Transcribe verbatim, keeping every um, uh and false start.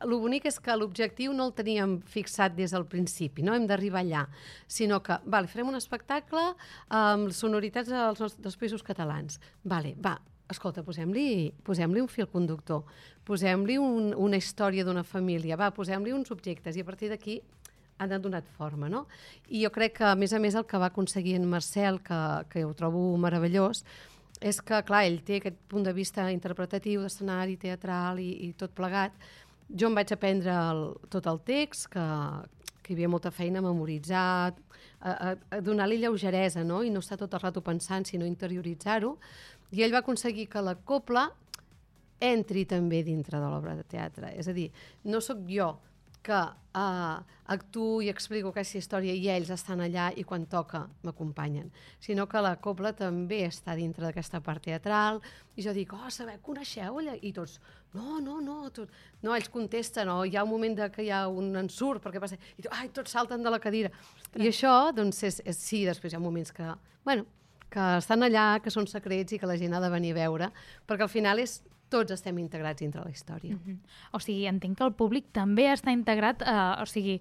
el bonic és que l'objectiu no el teníem fixat des del principi, no hem d'arribar allà, sinó que, vale, farem un espectacle amb sonoritats dels, nostres, dels països catalans. Vale, va, escolta, posem-li posem-li un fil conductor, posem-li un, una història d'una família, va, posem-li uns objectes, i a partir d'aquí han donat forma, no? I jo crec que, a més a més, el que va aconseguir en Marcel, que, que ho trobo meravellós, és que, clar, ell té aquest punt de vista interpretatiu, d'escenari, teatral i, i tot plegat. Jo em vaig aprendre el, tot el text, que, que hi havia molta feina a memoritzar, a, a, a donar-li lleugeresa, no? I no estar tot el rato pensant, sinó interioritzar-ho. I ell va aconseguir que la copla entri també dintre de l'obra de teatre. És a dir, no sóc jo que uh, actuo i explico aquesta història i ells estan allà i quan toca m'acompanyen, sinó que la copla també està dintre d'aquesta part teatral i jo dic, oh, sabeu, coneixeu ella? I tots, no, no, no, tot... no, ells contesten, o hi ha un moment de que hi ha un ensurt, perquè passa, i tu, ai, tots salten de la cadira. Ostres. I això, doncs, és, és, sí, després hi ha moments que, bueno, que estan allà, que són secrets i que la gent ha de venir a veure, perquè al final és tots estem integrats dintre la història. Mm-hmm. O sigui, entenc que el públic també està integrat, eh, o sigui,